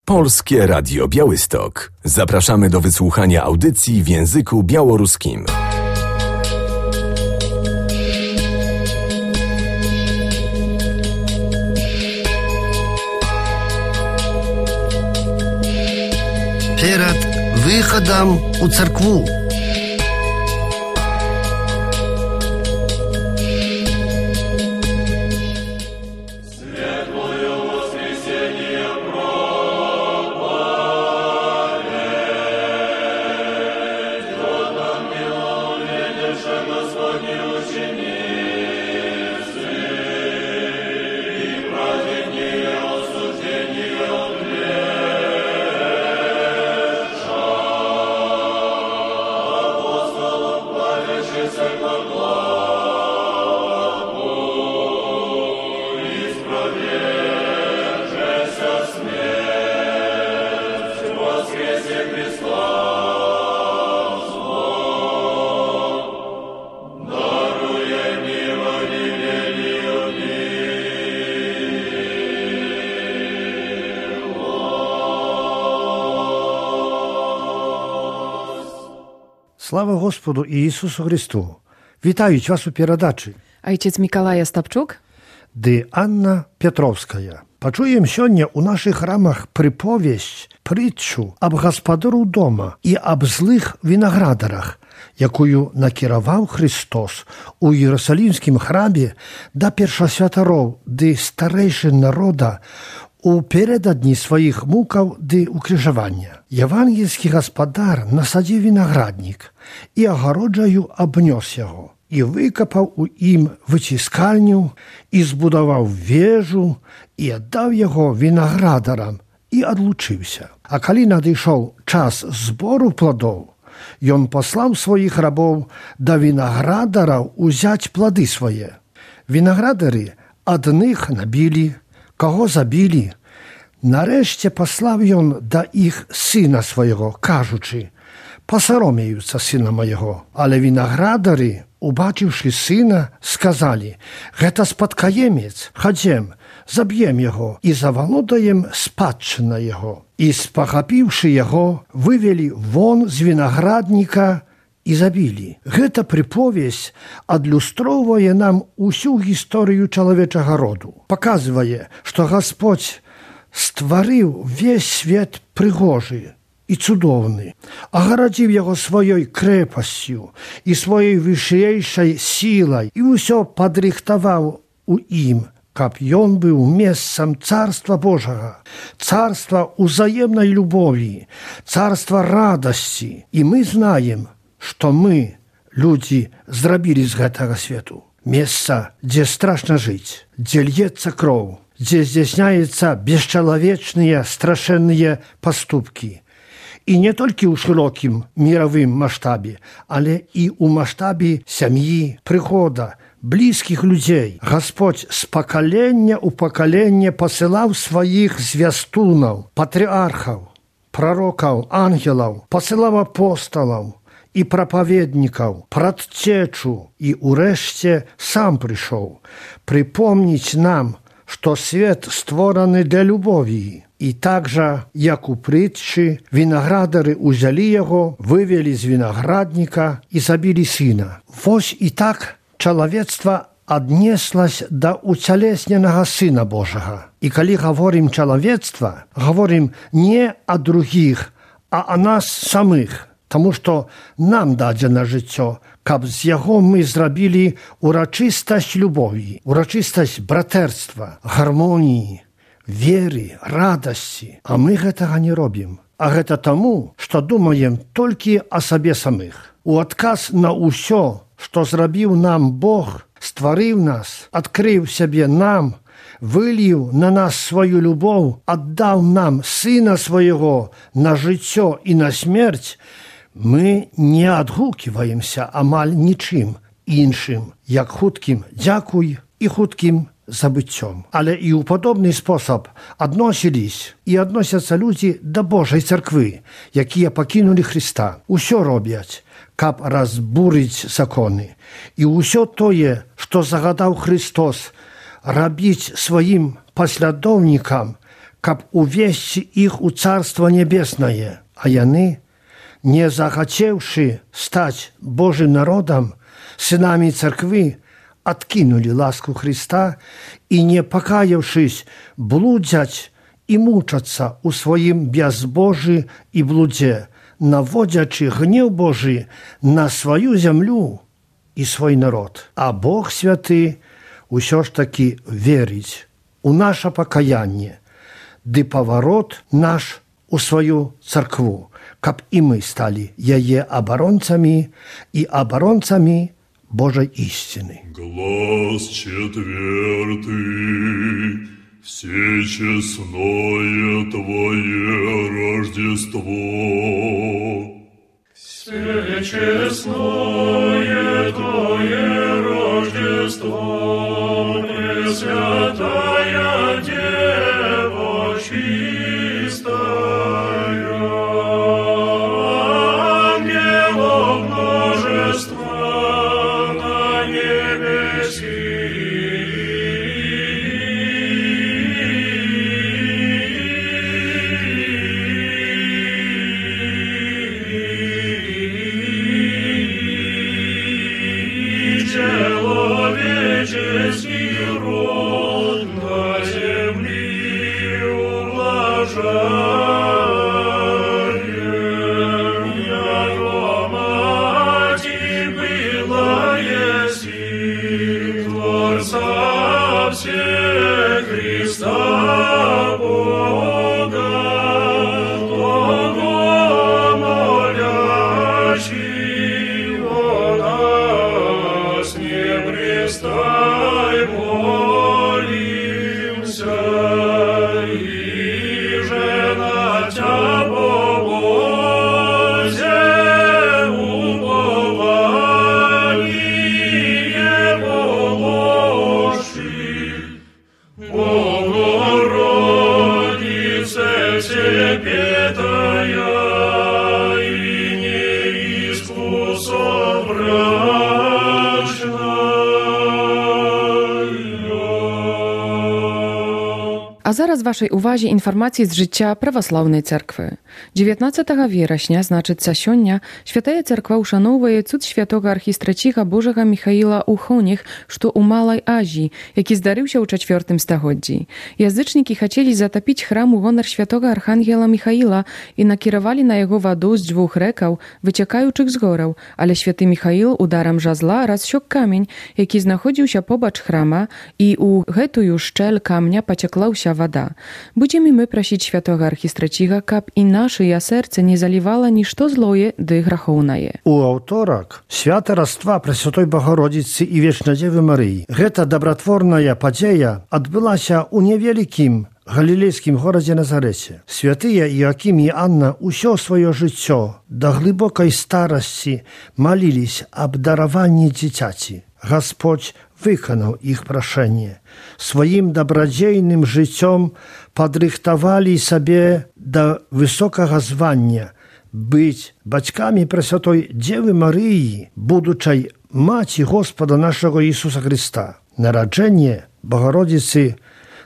Polskie Radio Białystok. Zapraszamy do wysłuchania audycji w języku białoruskim. Перед выходом у церкву. Слава Господу Ісусу Христу! Вітають вас у передачі. Ojciec Mikołaj Остапчук Ды Анна Петровская. Пачуем сёння ў нашых храмах прыповесць, прытчу аб гаспадару дома і аб злых вінаградарах, якую накіраваў Христос у Іерусалімскім храме да першасвятароў ды старэйшын народа у перададні сваіх мукаў ды укрыжавання. Евангельскі гаспадар насадзіў вінаграднік і агароджаю абнёс яго, і выкапаў у ім выціскальню, і збудаваў вежу, і аддаў яго вінаградарам, і адлучыўся. А калі надышоў час збору пладоў, ён паслаў сваіх рабоў да вінаградараў узяць плады свае. Вінаградары адных набілі, каго забілі. Нарэшце паслаў ён да іх сына свайго, кажучы: «Пасаромеюцца сына майго». Але вінаградары, убачыўшы сына, сказалі: «Гэта спадкаемец, хадзем, заб'ем яго і завалодаем спадчына яго». І, спахапіўшы яго, вывелі вон з вінаградніка і забілі. Гэта прыповесць адлюстроўвае нам усю гісторыю чалавечага роду. Паказвае, што Гасподзь стварыў увесь свет прыгожы і цудоўны, агарадзіў яго сваёй крэпасцю і сваёй вышэйшай сілай і ўсё падрыхтаваў у ім, каб ён быў месцам Царства Божага, царства ўзаемнай любові, царства радасці. І мы знаем, што мы, людзі, зрабілі з гэтага свету месца, дзе страшна жыць, дзе льецца кроў, дзе здзяйсняюцца бесчалавечныя страшэнныя паступкі. І не толькі ў шырокім міравым маштабе, але і ў маштабе сям'і, прыхода, блізкіх людзей. Гасподзь з пакалення ў пакаленне пасылаў сваіх звястунаў, патрыархаў, прарокаў, ангелаў, пасылаў апосталаў і прапаведнікаў, прадцечу, і ўрэшце сам прыйшоў прыпомніць нам, што свет створаны для любові. І так жа, як у прытчы, вінаградары ўзялі яго, вывелі з вінаградніка і забілі сына. Вось і так чалавецтва аднеслась да уцялесненага Сына Божага. І калі гаворым чалавецтва, гаворым не о другіх, а о нас самых, таму што нам дадзена жыццё, каб з яго мы зрабілі урачыстасць любові, урачыстасць братэрства, гармоніі, веры, радасці. А мы гэтага не робім. А гэта таму, што думаем толькі о сабе самых. У адказ на ўсё, што зрабіў нам Бог, стварыў нас, адкрыў сябе нам, выліў на нас сваю любоў, аддаў нам сына свайго на жыццё і на смерць, мы не адгуківаемся амаль нічым іншым, як хуткім дзякуй і хуткім забыццём. Але і ў падобны спосаб адносілись і адносяцца людзі да Божай царквы, якія пакінулі Хрыста. Усё робяць, каб разбурыць законы. І ўсё тое, што загадаў Христос рабіць сваім паслядоўнікам, каб увесці іх у Царство Небеснае, а яны, не захацеўшы стаць Божым народам, сынамі царквы, адкінулі ласку Христа і, не пакаяўшись, блудзяць і мучацца ў сваім бязбожжы і блудзе, наводзячы гнеў Божы на сваю зямлю і свой народ. А Бог святы ўсё ж такі верыць у наша пакаянне, ды паварот наш у сваю царкву, каб і мы сталі яе абаронцамі і абаронцамі Божай истины. Глаз четвертый, всечестное Твое Рождество. Всечестное Твое Рождество, Пресвятая Дева чистая, ангелов множество на небеси. Человеческий род на земли ублажаем, яко мати была еси Творца всех Христа Бога, Бога молящего нас не пристай, молимся, и же на Тя Боже упование положи. Богородице всепетая и неискусобрачная. А зараз вашej uwadze informacji z życia prawosławnej cerkwy. 19 września, znaczyca сёння, Święta Cerkwa uszanowuje cud świętego archistracicha Bożego Michaila u Chonich, што u Malej Azji, jaki zdarzył się u IV stagодzi. Jazyczniki chcieli zatopić chram u honor świętego archangela Michaila i nakierowali na jego wodę z dwóch rekał, wyciekających z górę, ale święty Michail udarem żazla rozsiąkł kamień, jaki znachodził się pobacz chrama i u гэтую szczel kamnia pociekła się woda. Będziemy my prosić świętego archistracicha, kab i nasze serce nie zaliwало ничто злое ды грахоўнае. У аўторак свята Раства Пресвятой Богородицы і Вечнадзевы Марыі. Гэта дабратворная падзея адбылася ў невялікім галілейскім горадзе Назарэце. Святыя Іакім і Анна ўсё сваё жыццё да глыбокай старасці маліліся аб дараванні дзіцяці. Господь выканаў іх прашэнне. Сваім дабрадзейным жыццём падрыхтавалі сабе да высокага звання быць бацькамі Пресвятой Дзевы Марыі, будучай маці Господа нашага Ісуса Христа. Нараджэнне Богородицы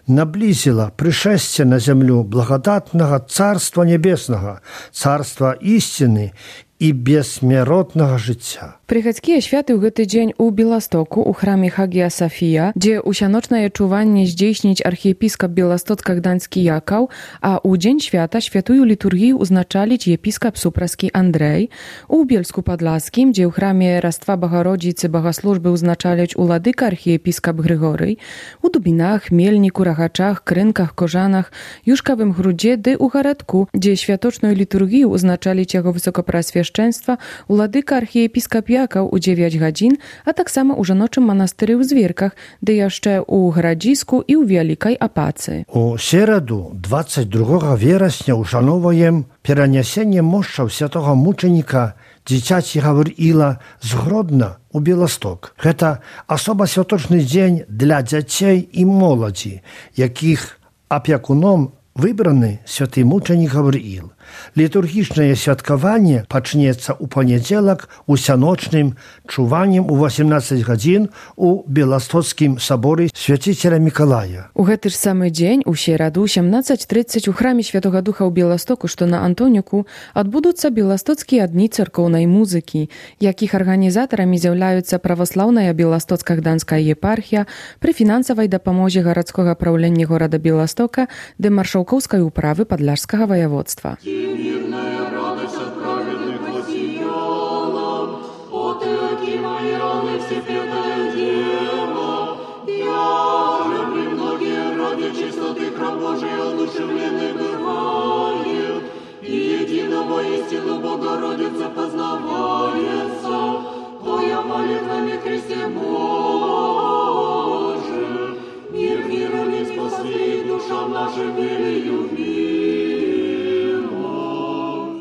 наблизила пришествие на землю благодатного Царства Небесного, Царства истины и бессмертного життя. Прыхадскія святы ў гэты дзень у Беластоку у храме Хагія Софія, дзе усяночнае чуванне здзейсніць архіепіскап Беластоцка-Гданьскі Якаў, а ў дзень свята святую літургію узначаліць епіскап Супраскі Андрэй, у Бельску-Падласкім, дзе ў храме Раства Богородицы богаслужбы узначаляць уладыка архіепіскап Грыгорый, у Дубінах, Мельніку, Рагачах, Крынках, Кожанах, Юшкавым Грудзе ды ў гарадку, дзе святочную літургію узначаліць яго высокапрасвяшчэнства уладыка архіепіскап Якаў у 9 гадзін, а таксама ў жаночым манастыры ў Звірках, ды яшчэ ў Гарадзіску і ў Вялікай Апацы. У середу 22 верасня ушановуем перанясенне мощаў святого мученіка дзіцяці Гавріла з Гродна у Беласток. Гэта асоба святочны дзень для дзяцей і моладзі, якіх апякуном wybrany święty muczenik Gawryil. Liturgiczne świadkowanie zacznie u poniedziałek usianocznym czuwaniem u 18 godzin u Białostockim Soborze Święciciela Mikołaja. U ten samý dzień u środu 18:30 u Chramie Świętego Ducha u Białostoku, što na Antoniuku, odbudутся Białostockie dni cerkownej muzyki, jakich organizatorami zjawляються Православная Białostocka-Gdańska єпархія при фінансовій допомозі городського правління города Białestoka де маршałkowskiej uprawy Podlaskiego województwa. Мирная радость от праведных воссияла, от иоки мои раны всепетая дева. Я же при многие ради чистоты храм Божий одушевленный бывает, и единого истину Богородица познавается, Твоя молитвами Христе Боже, мир миром не спасли, душам нашим велию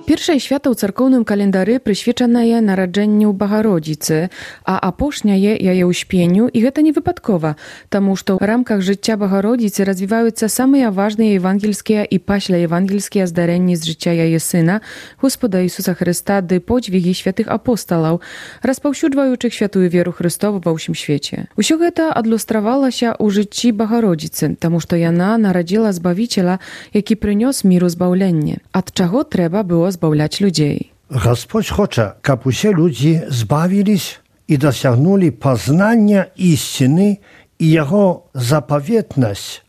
Pierwsze święto w cerkownym kalendarzu przyświecone je narodzeniu Bogorodzicy, a aposznia je jej uśpieniu i to nie wypadkowa, тому что w ramkach życia Bogorodzicy rozwijają się same ważne ewangelskie i paśle ewangelskie zdarzenia z życia jej Syna, Gospoda Jezusa Chrysta, dy podźwigi świętych apostolów, rozpowszechniających świętую wierę Chrystową we всім świecie. Усё to odlustrowało się u życiu Bogorodzicy, тому что ona narodziła Zbawiciela, jaki przyniósł miru zbawienie. Od czego trzeba było zbawiać ludzi? Господь хоче, щоб усі люди збавились і досягнули познання істини і Його заповітність,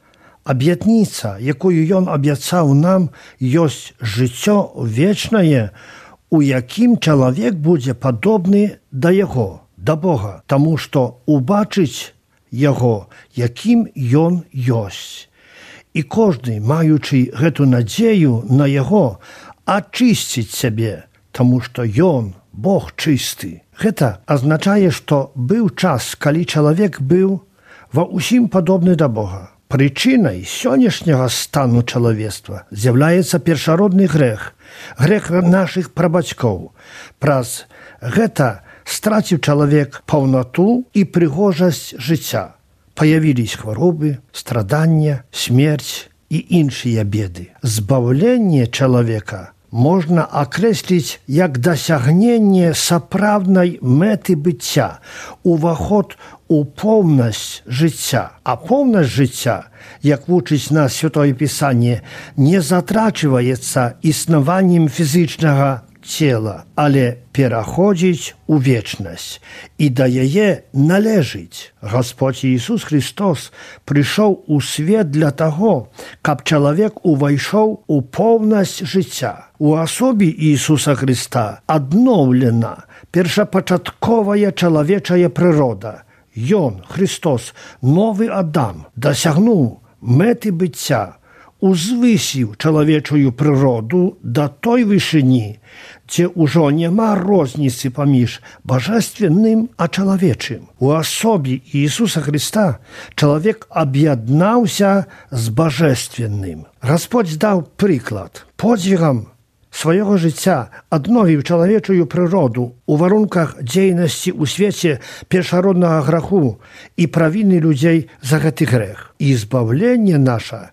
обітниця, якою Він обіцяв нам, є життя вічне, у яким чоловік буде подобний до Його, до Бога, тому що убачить Його, яким Він є. І кожен, маючи цю надію на Його, очистить себе, тому що Ён, Бог чистий. Это означає, що був час, коли чоловік був во усім подобний до Бога. Причиною сьогоднішнього стану чоловіцтва з'являється першородний грех, грех наших прабатьків. Праз гэта стратив чоловік повноту і пригожість життя. Появились хвороби, страдання, смерть і інші біди. Збавлення чоловіка можна окреслить як досягнення сапраўднай мети биття, уваход у повність життя. А повність життя, як вучить нас Святое Писання, не затрачивається існуванням фізичного тіла, але переходить у вічність і до її належить. Господь Ісус Христос прийшов у світ для того, щоб чоловік увійшов у повність життя. У особі Ісуса Христа одновлена першопочаткова чоловіча природа. Ён, Христос, новий Адам, досягнув мети биття, узвисив чоловічу природу до той вишині, де уже нема розниці поміж божественним а чоловічим. У особі Ісуса Христа чоловік об'єднався з божественним. Господь дав приклад. Подвигом swojego życia odnowił człowieczą przyrodę u warunkach dziejności u świecie pierwszorodnego grzechu i prawiny ludzi za ten grzech. I zbawienie nasze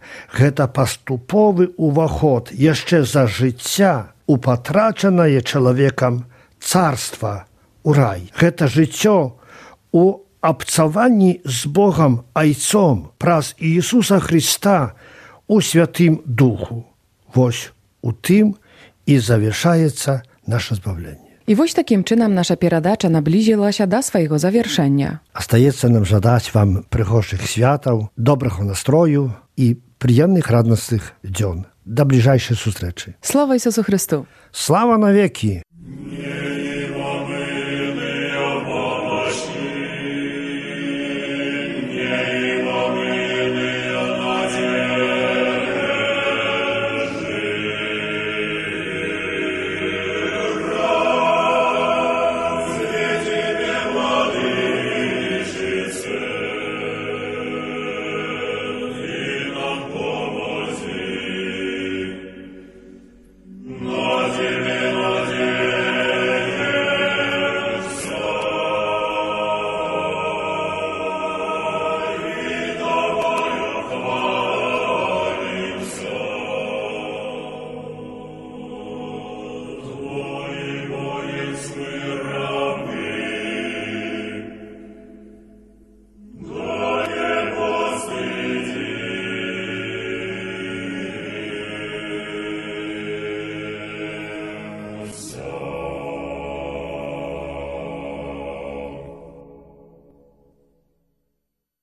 to postupowy uwachod jeszcze za życia upatraczone człowiekiem carstwa u raj. To życie u obcowani z Bogiem Ojcem przez Jezusa Chrysta u Świętym Duchu. Woś u tym i zawieszaється nasze zbawienie. I właśnie takim czynem nasza передача наблизила się do swojego zawieszenia. Остается нам żadać wam przychodzych światów, dobrego nastroju i przyjemnych, radosnych dzień. Do bliżejszej zустрічі. Слава Ісусу Христу! Слава на веки!